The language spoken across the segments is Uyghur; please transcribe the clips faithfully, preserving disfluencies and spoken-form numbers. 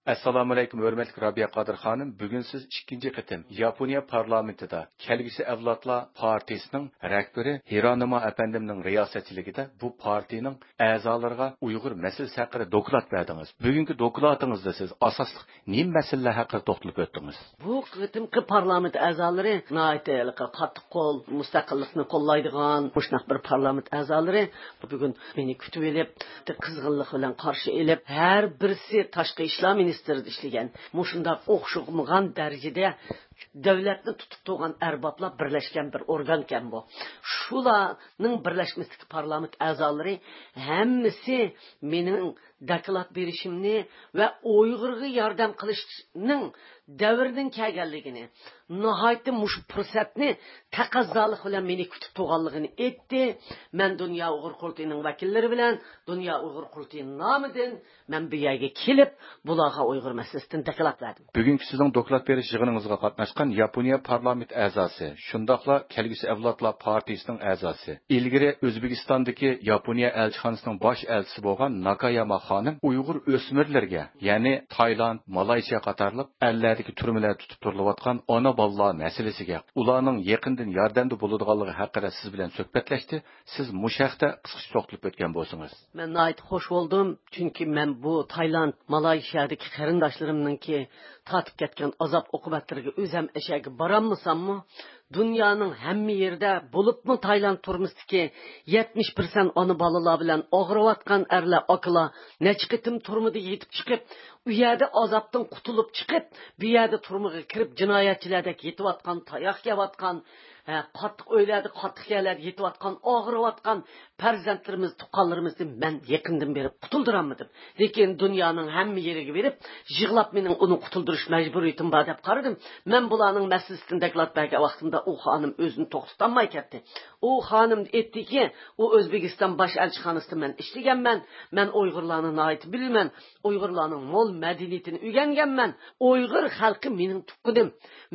ئەسسالامۇئەلەيكۇم، ھۆرمەتلىك رابىيە قادىر خانىم. بۈگۈن سىز ئىككىنچى قېتىم ياپونىيە پارلامېنتىدا كەلگۈسى ئەۋلادلار پارتىيىسىنىڭ رەھبىرى ھىرانىما ئەپەندىمنىڭ رىياسەتچىلىكىدە بۇ پارتىيىنىڭ ئەزالىرىغا ئۇيغۇر مەسىلىسى ھەققىدە دوكلات بەردىڭىز. بۈگۈنكى دوكلاتىڭىزدا سىز ئاساسلىق نېمە مەسىلىلەر ھەققىدە توختىلىپ ئۆتتىڭىز؟ بۇ قېتىمقى پارلامېنت ئەزالىرى ناھايىتى ھېلىقى قاتتىق قول، مۇستەقىللىقنى قوللايدىغان مۇشۇنداق بىر پارلامېنت ئەزالىرى بۈگۈن مېنى كۈتۈۋېلىپ، قىزغىنلىق بىلەن قارشى ئېلىپ، ھەر بىرسى تاشقى ئىشلار مىنىستىرىدا ئىشلىگەن، مۇشۇنداق ئوخشىمىغان دەرىجىدە دۆلەتنى تۇتۇپ تۇرغان ئەربابلار بىرلەشكەن بىر ئورگانكەن بۇ. شۇلارنىڭ بىرلەشمىسىدىكى پارلامېنت ئەزالىرى ھەممىسى مېنىڭ دوكلات بېرىشىمنى ۋە ئۇيغۇرغا ياردەم قىلىشنىڭ دەۋرىنىڭ كەلگەنلىكىنى، ناھايىتى مۇشۇ پۇرسەتنى تەقەززالىق بىلەن مېنى كۈتۈپ تۇرغانلىقىنى ئېيتتى. مەن دۇنيا ئۇيغۇر قۇرۇلتىيىنىڭ ۋەكىللىرى بىلەن دۇنيا ئۇيغۇر قۇرۇلتىيى نامىدىن مەن بۇ يەرگە كېلىپ، بۇلارغا ئۇيغۇر مەسىلىسىدىن دوكلات بەردىم. بۈگۈنكى سىزنىڭ دوكلات بېرىش يىغىنىڭىزغا قاتناشقان ياپونىيە پارلامېنت ئەزاسى، شۇنداقلا كەلگۈسى ئەۋلادلار پارتىيىسىنىڭ ئەزاسى، ئىلگىرى ئۆزبېكىستاندىكى ياپونىيە ئەلچىخانىسىنىڭ باش ئەلچىسى بولغان ناكاياما خانىم ئۇيغۇر ئۆسمۈرلىرىگە، يەنى تايلاند، مالايسىيا قاتارلىق ئەللەردىكى تۈرمىلەردە تۇتۇپ تۇرۇلۇۋاتقان ئانا بالىلار مەسىلىسىگە، ئۇلارنىڭ يېقىندىن ياردەمدە بولىدىغانلىقى ھەققىدە سىز بىلەن سۆھبەتلەشتى. سىز مۇشۇ ھەقتە قىسقىچە توختىلىپ ئۆتكەن بولسىڭىز. مەن ناھايىتى خوش بولدۇم، چۈنكى مەن بۇ تايلاند، مالايشىيادىكى قېرىنداشلىرىمنىڭكى تارتىپ كەتكەن ئازاب ئوقۇبەتلىرىگە ئۆزەم ئەشەگە بارالمىساممۇ، دۇنيانىڭ ھەممە يېرىدە، بولۇپمۇ تايلاند تۈرمىسىدىكى يەتمىش پىرسەنت ئانا بالىلار بىلەن ئاغرىۋاتقان ئەرلەر، ئاكىلار نەچچە قېتىم تۈرمىدە يېتىپ چىقىپ، ئۇ يەردە ئازابتىن قۇتۇلۇپ چىقىپ، بۇ يەردە تۈرمىگە كىرىپ، جىنايەتچىلەردەك يېتىۋاتقان، تاياق يەۋاتقان، ھە، قاتتىق ئۆيلەردە، قاتتىق يەرلەردە يېتىۋاتقان، ئاغرىۋاتقان پەرزەنتلىرىمىز، تۇغقانلىرىمىزنى مەن يېقىندىن بېرىپ قۇتۇلدۇرالمىدىم. لېكىن دۇنيانىڭ ھەممە يېرىگە بېرىپ، يىغلاپ مېنىڭ ئۇنى قۇتۇلدۇرۇش مەجبۇرىيىتىم بار دەپ قارىدىم. مەن بۇلارنىڭ مەسىلىسىدىن دوكلات بەرگەن ۋاقتىمدا ئۇ خانىم ئۆزىنى توختىتالماي كەتتى. ئۇ خانىم ئېيتتىكى، ئۇ ئۆزبېكىستان باش ئەلچىخانىسىدا مەن ئىشلىگەنمەن، مەن ئۇيغۇرلارنى ناھايىتى بىلىمەن، ئۇيغۇرلارنىڭ مول مەدەنىيىتىنى ئۆگەنگەنمەن، ئۇيغۇر خەلقى مېنىڭ تۇغقىنىم.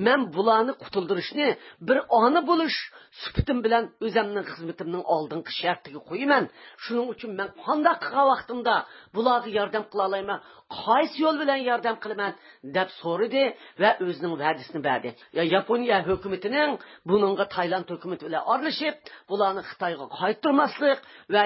مەن بۇلارنى قۇتۇلدۇرۇشنى بىر ئانا بولۇش سۈپىتىم بىلەن ئۆزەمنىڭ خىزمىتىمنىڭ ئالدىنقى شەرتىگە قويىمەن. شۇنىڭ ئۈچۈن مەن قانداق قىلغان ۋاقتىمدا بۇلارغا ياردەم قىلالايمەن؟ قايسى يول بىلەن ياردەم قىلىمەن؟ دەپ سورىدى ۋە ئۆزىنىڭ ۋەدىسىنى بەردى. يا-، ياپونىيە ھۆكۈمىتىنىڭ بۇنىڭغا تايلاند ھۆكۈمىتى بىلەن ئارىلىشىپ، بۇلارنى خىتايغا قايتۇرماسلىق ۋە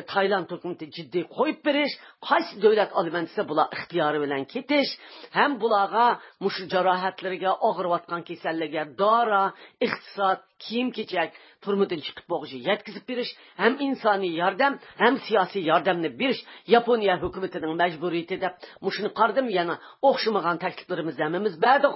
تايلاند ھۆكۈمىتى جىددىي قويۇپ بېرىش، قايسى دۆلەت ئالىمەن دېسە، بۇلار ئىختىيارى بىلەن كېتىش ھەم بۇلارغا مۇشۇ جاراھەتلىرىگە، ئاغرىۋاتقان كېسەللىرىگە دارا، ئىقتىساد، كىيىم-كېچەك، تۈرمىدىن چىقىپ بولغۇچە يەتكۈزۈپ بېرىش، ھەم ئىنسانىي ياردەم، ھەم سىياسىي ياردەمنى بېرىش ياپونىيە ھۆكۈمىتىنىڭ مەجبۇرىيىتى دەپ مۇشۇنى قارىدىم. يەنە ئوخشىمىغان تەكلىپلىرىمىزنى ھەممىمىز بەردۇق.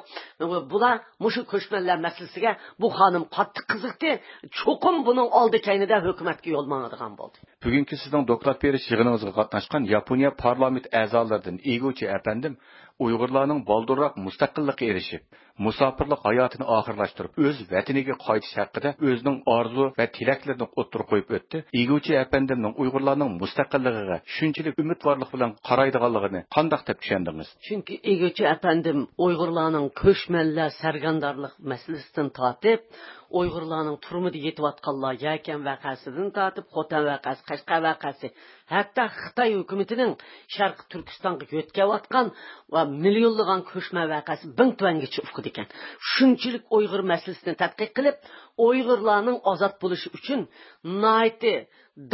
بۇلار مۇشۇ كۆچمەنلەر مەسىلىسىگە بۇ خانىم قاتتىق قىزىقتى. چوقۇم بۇنىڭ ئالدى كەينىدە ھۆكۈمەتكە يول ماڭىدىغان بولدى. بۈگۈنكى سىزنىڭ دوكلات بېرىش يىغىنىڭىزغا قاتناشقان ياپونىيە پارلامېنت ئەزالىرىدىن ئىگۇچى ئەپەندىم ئۇيغۇرلارنىڭ بالدۇرراق مۇستەقىللىققا ئېرىشىپ، مۇساپىرلىق ھاياتىنى ئاخىرلاشتۇرۇپ، ئۆز ۋەتىنىگە قايتىش ھەققىدە ئۆزىنىڭ ئارزۇ ۋە تىلەكلىرىنى ئوتتۇرىغا قويۇپ ئۆتتى. ئىگۇچى ئەپەندىمنىڭ ئۇيغۇرلارنىڭ مۇستەقىللىقىغا شۇنچىلىك ئۈمىدۋارلىق بىلەن قارايدىغانلىقىنى قانداق دەپ چۈشەندىڭىز؟ چۈنكى ئىگۇچى ئەپەندىم ئۇيغۇرلارنىڭ كۆچمەنلەر سەرگەردانلىق مەسىلىسىدىن تارتىپ، ئۇيغۇرلارنىڭ تۈرمىدە يېتىۋاتقانلار يەكەن ۋەقەسىدىن تارتىپ، خوتەن ۋەقەسى، قەشقەر ۋەقەسى، ھەتتا خىتاي ھۆكۈمىتىنىڭ شەرقىي تۈركىستانغا يۆتكەۋاتقان ۋە مىليونلىغان كۆچمەن ۋەقەسى بىڭتۈەنگىچە ئۇقىدىكەن. شۇنچىلىك ئۇيغۇر مەسىلىسىنى تەتقىق قىلىپ، ئۇيغۇرلارنىڭ ئازاد بولۇشى ئۈچۈن ناھايىتى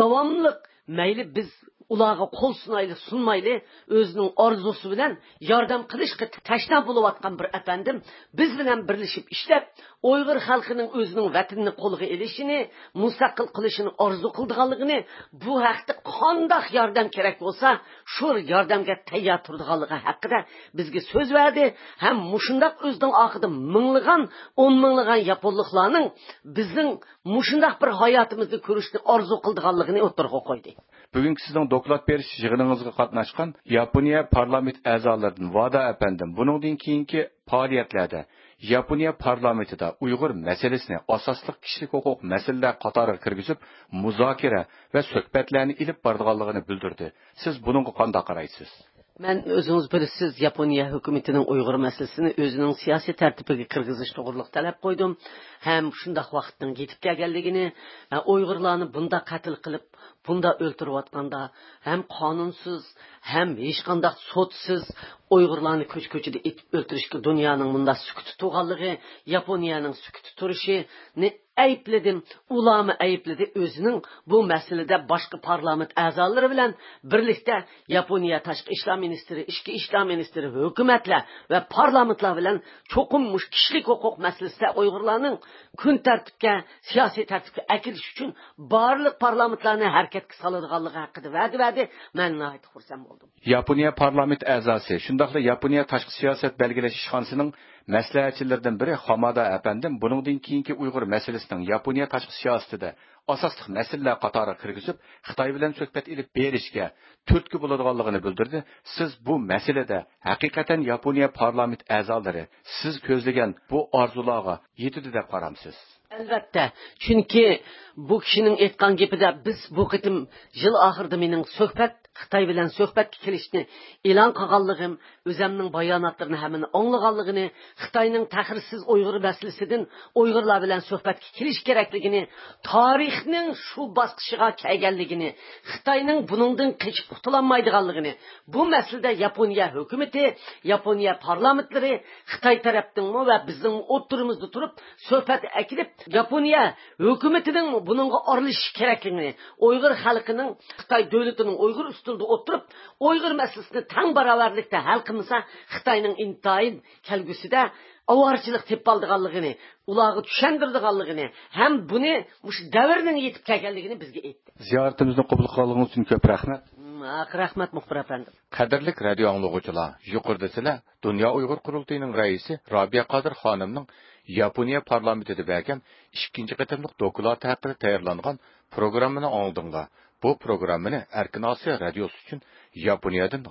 داۋاملىق، مەيلى بىز ئۇلارغا قول سۇنايلى، سۇنمايلى، ئۆزىنىڭ ئارزۇسى بىلەن ياردەم قىلىشقا تەشنا بولۇۋاتقان بىر ئەپەندىم بىز بىلەن بىرلىشىپ ئىشلەپ، ئۇيغۇر خەلقىنىڭ ئۆزىنىڭ ۋەتىنىنى قولغا ئېلىشىنى، مۇستەقىل قىلىشىنى ئارزۇ قىلىدىغانلىقىنى، بۇ ھەقتە قانداق ياردەم كېرەك بولسا، شۇ ياردەمگە تەييار تۇرىدىغانلىقى ھەققىدە بىزگە سۆز بەردى ھەم مۇشۇنداق ئۆزىنىڭ ئارقىدا مىڭلىغان، ئون مىڭلىغان ياپونلۇقلارنىڭ بىزنىڭ مۇشۇنداق بىر ھاياتىمىزنى كۆرۈشنى ئارزۇ قىلىدىغانلىقىنى ئوتتۇرىغا قويدى. بۈگۈنكى سىزنىڭ دوكلات بېرىش يىغىنىڭىزغا قاتناشقان ياپونىيە پارلامېنت ئەزالىرىدىن ۋادا ئەپەندىم بۇنىڭدىن كېيىنكى پائالىيەتلەردە ياپونىيە پارلامېنتىدا ئۇيغۇر مەسىلىسىنى ئاساسلىق كىشىلىك ھوقۇق مەسىلىلەر قاتارىغا كىرگۈزۈپ، مۇزاكىرە ۋە سۆھبەتلەرنى ئېلىپ بارىدىغانلىقىنى بىلدۈردى. سىز بۇنىڭغا قانداق قارايسىز؟ مەن، ئۆزىڭىز بىلىسىز، ياپونىيە ھۆكۈمىتىنىڭ ئۇيغۇر مەسىلىسىنى ئۆزىنىڭ سىياسىي تەرتىپىگە كىرگۈزۈش توغرۇلۇق تەلەپ قويدۇم ھەم شۇنداق ۋاقىتنىڭ يېتىپ كەلگەنلىكىنى، ھە، ئۇيغۇرلارنى بۇنداق قەتل قىلىپ، بۇنداق ئۆلتۈرۈۋاتقاندا، ھەم قانۇنسىز، ھەم ھېچقانداق سوتسىز ئۇيغۇرلارنى كۆچە-كۆچىدە ئېتىپ ئۆلتۈرۈشكە دۇنيانىڭ مۇنداق سۈكۈتتە تۇرغانلىقى، ياپونىيەنىڭ سۈكۈتتە تۇرۇشىنى ئەيىبلىدىم. ئۇلارمۇ ئەيىبلىدى. ئۆزىنىڭ بۇ مەسىلىدە باشقا پارلامېنت ئەزالىرى بىلەن بىرلىكتە ياپونىيە تاشقى ئىشلار مىنىستىرى، ئىچكى ئىشلار مىنىستىرى، ھۆكۈمەتلەر ۋە پارلامېنتلار بىلەن چوقۇم مۇشۇ كىشىلىك ھوقۇق مەسىلىسىدە ئۇيغۇرلارنىڭ كۈن تەرتىپكە، سىياسىي تەرتىپكە ئەكېلىش ئۈچۈن بارلىق پارلامېنتلارنى ھەرىكەتكە سالىدىغانلىقى ھەققىدە ۋەدە بەردى. مەن ناھايىتى خۇرسەن بولدۇم. ياپونىيە پارلامېنت ئەزاسى، شۇنداقلا ياپونىيە تاشقى سىياسەت بەلگىلەش ئىشخانىسىنىڭ مەسلىھەتچىلىرىدىن بىرى خامادا ئەپەندىم بۇنىڭدىن كېيىنكى ئۇيغۇر مەسىلىسىنىڭ ياپونىيە تاشقى سىياسىتىدە ئاساسلىق مەسىلىلەر قاتارىغا كىرگۈزۈپ، خىتاي بىلەن سۆھبەت ئېلىپ بېرىشكە تۈرتكە بولىدىغانلىقىنى بىلدۈردى. سىز بۇ مەسىلىدە ھەقىقەتەن ياپونىيە پارلامېنت ئەزالىرى سىز كۆزلىگەن بۇ ئارزۇلارغا يېتىدۇ دەپ قارامسىز؟ ئەلۋەتتە، چۈنكى بۇ كىشىنىڭ ئېيتقان گېپىدە، بىز بۇ قېتىم يىل ئاخىرىدا مېنىڭ سۆھبەت، خىتاي بىلەن سۆھبەتكە كېلىشنى ئېلان قىلغانلىقىم، ئۆزەمنىڭ باياناتلىرىنى ھەممىنى ئاڭلىغانلىقىنى، خىتاينىڭ تەخىرسىز ئۇيغۇر مەسىلىسىدىن ئۇيغۇرلار بىلەن سۆھبەتكە كېلىش كېرەكلىكىنى، تارىخنىڭ شۇ باسقۇچىغا كەلگەنلىكىنى، خىتاينىڭ بۇنىڭدىن قېچىپ قۇتۇلالمايدىغانلىقىنى، بۇ مەسىلىدە ياپونىيە ھۆكۈمىتى، ياپونىيە پارلامېنتلىرى خىتاي تەرەپنىڭمۇ ۋە بىزنىڭمۇ ئوتتۇرىمىزدا تۇرۇپ سۆھبەت ئەكېلىپ، ياپونىيە ھۆكۈمىتىنىڭ بۇنىڭغا ئارىلىشىش كېرەكلىكىنى، ئۇيغۇر خەلقىنىڭ خىتاي دۆلىتىنىڭ ئۇيغۇر ئۈستىلىدە ئولتۇرۇپ، ئۇيغۇر مەسىلىسىنى تەڭ باراۋەرلىكتە ھەل قىلمىسا، خىتاينىڭ ئىنتايىن كەلگۈسىدە ئاۋارىچىلىق تېپىۋالىدىغانلىقىنى، ئۇلارغا چۈشەندۈرىدىغانلىقىنى ھەم بۇنى مۇشۇ دەۋرنىڭ يېتىپ كەلگەنلىكىنى بىزگە ئېيتتى. زىيارىتىمىزنى قوبۇل قىلغانلىقىڭىز ئۈچۈن كۆپ رەھمەت. ھەق رەھمەت، مۇخبىر ئەپەندىم. قەدىرلىك رادىيو ئاڭلىغۇچىلار، يۇقىرىدا سىلەر دۇنيا ئۇيغۇر قۇرۇلتىيىنىڭ رەئىسى رابىيە قادىر خانىمنىڭ ياپونىيە پارلامېنتىدا بەرگەن ئىككىنچى قېتىملىق دوكلاتى ھەققىدە تەييارلانغان پروگراممىنى ئاڭلىدىڭلار. بۇ پروگراممىنى ئەركىن ئاسىيا رادىيوسى ئۈچۈن ياپونىيەدىن